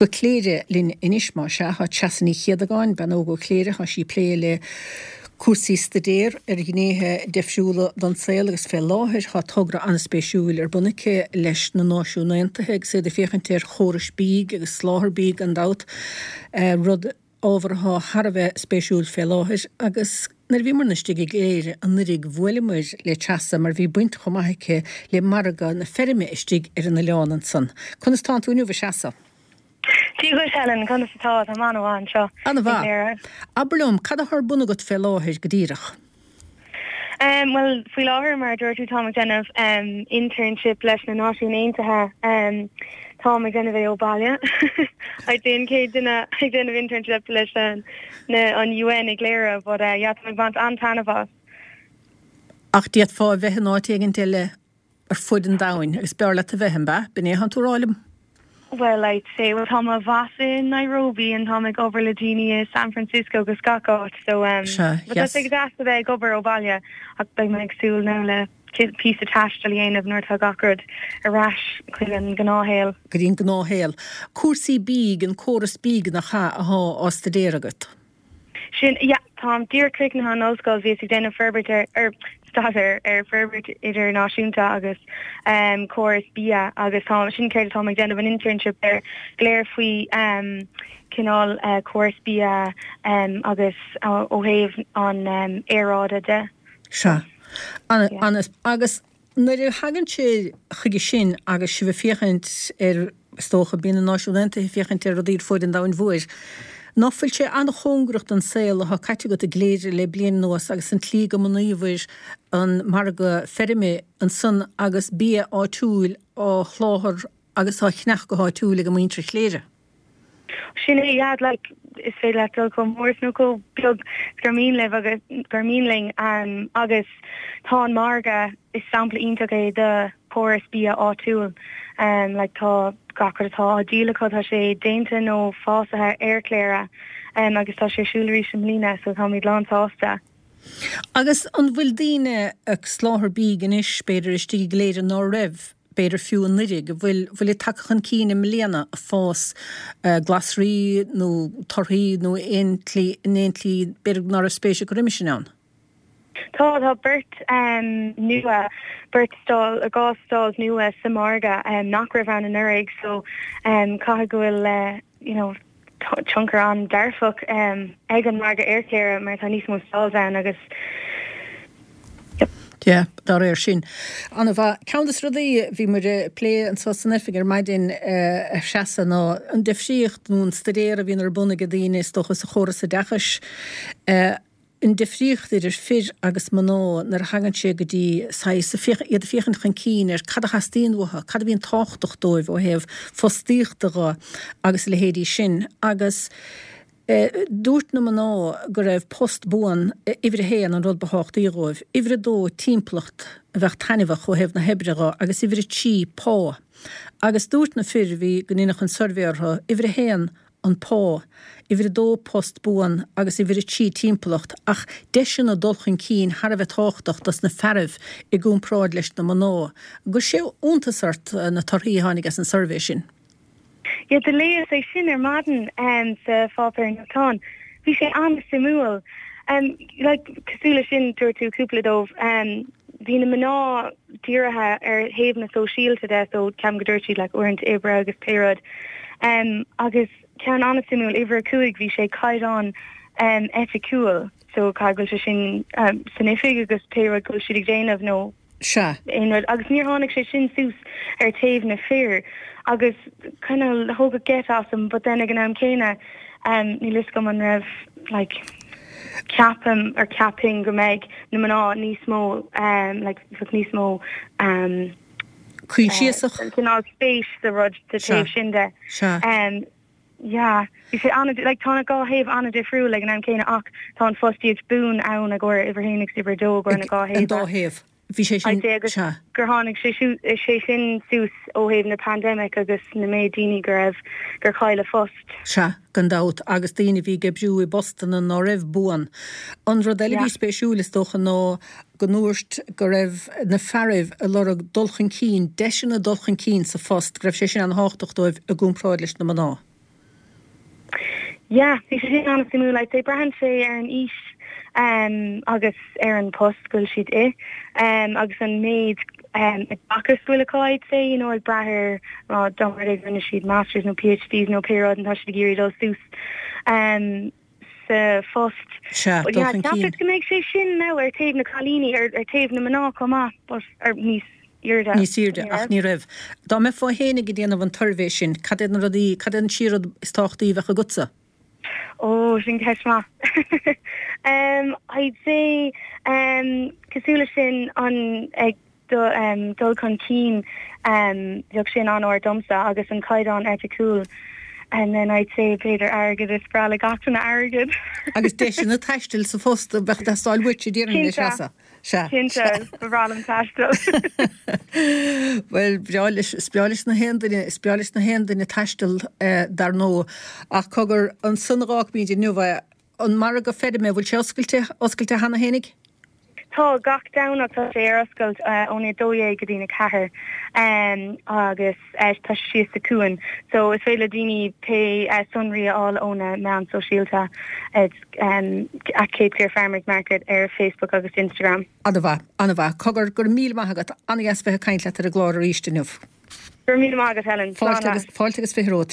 Go Cléire linn anois, más ea. Tá Treasa Ní Chéadagáin, bean óg ó Chléire, tá sí ag plé le cúrsaí staidéir ar ghnéithe deifriúla den saol agus fé láthair tá togra an-spéisiúil ar bun aici leis na Náisiúin Aontaithe agus iad ag féachaint ar chórais bídh agus soláthar bídh gan dabht, rud ábhar atá thar a bheith spéisiúil fé láthair agus nuair a bhíomarna istigh i gCléire anuiridh bhuaileamair le Treasa mar bhí baint chomh maith aici le margadh na feirme istigh ar an oileán ansan. Conas tánn tú inniu a Threasa? Dia dhuit Helen, conas atá? Táim an-mhaith anseo i gCléire. Abair liom, cad atá ar bun agat fé láthair go díreach? Bhuel, faoi láthair, mar a dúirt tú, táim ag déanamh internship leis na Náisiúin Aontaithe. Táim ag déanamh é ó bhaile. I'd say an chéad duine ag déanamh internship leis an an UN i gCléire, but yeah, táim ag baint an-taitneamh as. Ach d'fhéadfá a bheith in áit éigint eile ar fuid an domhain agus b'fhearr leat a bheith, an b'ea? B'in é atánn tú a rá liom? Well, I'd say, well tá mo bhoss i Nairobi and táim ag obair le daoine i San Francisco agus gach áit so um Sea, but tá yes. sé go deas a bheith ag obair ó bhaile ach beidh mé ag súil now le píosa taistil a dhéanamh nuair atá gach rud ar ais chuig an gnáthshaol. Go dtí an gnáthshaol. Cúrsaí bídh, an córas bídh nach ea athá á staidéar agat? Sin, yeah, táim díreach críochnaithe an ollscoil, bhíos ag déanamh forbairt ar, ar, staidéar ar forbairt idirnáisiúnta agus em córas bia agus tá, sin céard atáim ag déanamh an internship air, go léir faoi em cineál eh córas bia em agus ó thaobh an em aeráide de. Sea. Ana, ana, agus Nuair a thagann sé chuige sin agus sibh ag féachaint ar, is dócha, bíonn na Náisiúin Aontaithe ag féachaint ar rudaí ar fuaid an domhain mhóir, ná fuil sé an-chóngarach don saol atá caite agat i gCléire le bliain anuas agus an tslí go mbunaíobhair an margadh feirme ansan agus bia áitiúil á sholáthar agus á cheannach go háitiúil ag muintir Chléire? Sin é, yeah, like, is féidir leat dul chomh mór is nó chomh beag is gur mian libh agus gur mian linn um, agus tá an margadh is sampla iontach é de chóras bia áitiúil. Um, like, tá gach rud atá á dhíol acu tá sé déanta nó fásaithe ar Chléire um, agus tá sé ar siúl arís i mbliana so táimid lán sásta. Agus an bhfuil daoine ag soláthar bídh anois, b'fhéidir, istigh i gCléire ná raibh, b'fhéidir fiú anuiridh, an bhfuil, bhfuil ag tagtha chun cinn i mbliana ag fás glasraí nó torthaí nó aon tslí, in aon tslí, b'fhéidir ná raibh spéis acu roimis sin ann? Tá, tá beirt nua, beirt stall, dhá stalls nua sa margadh nach raibh ann anuraidh so caithfidh go bhfuil, you know, tionchar an-dearfach ag an margadh ar Chléire mar tá níos mó stalls ann agus yep. Yeah, dá réir sin. An-mhaith. Ceann de na rudaí a bhí muid ag plé anseo san oifig ar maidin, a Threasa, ná an difríocht nó an staidéar a bhíonn ar bun ag daoine, is dócha, sa chóras oideachais. An difríocht idir fir agus mná nuair a thagann sé go dtí saghas, iad ag féachaint chun cinn ar cad a theastaíonn uathu, cad a bhíonn tábhachtach dóibh ó thaobh fostaíochta dho agus a leithéidí sin. Agus dúirt na mná go raibh post buan uimhir a haon an rud ba thábhachtaí dhóibh, uimhir a dó timpeallacht a bheadh taitneamhach ó thaobh na hoibre dho agus uimhir a trí pá. Agus dúirt na fir a bhí go ndeineadh an suirbhé orthu, uimhir a haon an pá, uimhir a dó post buan agus uimhir a trí timpeallacht, ach deiseanna dul chun cinn thar a bheith tábhachtach dos na fearaibh i gcomparáid leis na mná. An gcuir sé iontas ort na torthaí a tháinig as an suirbhé sin? Yeah, do léas é sin ar maidin sa pháipéar nuachtáin. Bhí sé an-suimiúil. Like, cosúil leis sin, dúirt tú cúpla dóibh, bhí na mná dírithe ar thaobh na sóisialta de so ceapaim go dúirt siad like uaireanta oibre agus pé rud. Um, agus ceann an-suimiúil, uimhir 5 bhí sé caighdeán um, eiticiúil so caithfidh go bhfuil sé sin um, san oifig agus pé rud go bhfuil siad ag déanamh nó Sea. aon rud agus níor tháinig sé sin suas ar taobh na fir agus kind of thóg geit asam but then ag an am céanna um, níl fhios agam an raibh like ceapaim or ceapaim go mbeidh na mná níos mó um, like bheadh níos mó um, Coinsiasach. cineál spéis sa rud sa taobh sin de. Sea. Um, yeah, bhí sé an like tá na dhá thaobh an-difriúil ag an am céanna ach tá an fostaíocht buan ann i gcomhair uimhir a haon agus uimhir a dó i gcomhair na dhá An dá thaobh. thaobh. Bhí sé sin, I'd say agus sea. gur tháinig sé sé sin suas ó thaobh na pandemic agus na méid daoine go raibh, gur chaill a phost. Sea, gan dabht, agus daoine a bhí ag oibriú i bpostanna ná raibh buan. An rud eile a Yeah. bhí spéisiúil, is dócha, ná go ndúirt go raibh na fearaibh ag lorg dul chun cinn, deiseanna dul chun cinn sa phost, go raibh sé sin an-thábhachtach dóibh i gcomparáid leis na mná. Yeah, bhí sé sin an-suimiúil. I'd say braitheann sé ar an aois agus ar an post go bhfuil siad i agus an méid oideachais go bhfuil acu I'd say, you know, ag brath ar dá mba rud é go rinne siad masters nó PhDs nó pé rud and tá siad ag iarraidh dul suas sa phost. Sea, dul chun cinn. Cheapas go mbeidh sé sin now ar taobh na cailíní, ar taobh na mná chomh maith but ar níos airde. Níos airde, ach ní raibh. Dá mbeifeá fhéinig ag déanamh an tsuirbhé sin, cad iad na rudaí, cad é an trí rud is tábhachtaí a bheadh agatsa? Ó, sin ceist maith. I'd say, cosúil leis sin, an ag dul chun cinn, bheadh sin an-ard domsa, agus an caighdeán eiticiúil. And then I'd say b'fhéidir airgead, is breá le gach duine airgead. Agus deiseanna taistil sa phost a bheadh ag teastáil uait, a déarfainn, a Threasa. Sea. Cinnte, ba bhreá liom taisteal. Bhuel, breá leis, is breá leis na haon duine, is breá leis na haon duine taisteal, dar ndóigh. Ach cogar, ansan a dh'fhágfaimid inniu é. An margadh feirme, bhfuil sé oscailte, oscailte cheana fhéinig? Tá, gach Domhnach tá sé ar oscailt óna 12 go dtí na 4 agus tá sé síos sa Cuan so is féidir le daoine pé sonraí a fháil ó na meáin sóisialta at Cape Clear Farmers Market ar Facebook agus Instagram. An-mhaith, an-mhaith. Cogar, go raibh míle maith agat. An-dheas bheith ag caint leat ar an gclár arís inniu. Go raibh míle maith agat, Helen. Slán leat. Fáilte agus 20 romhat.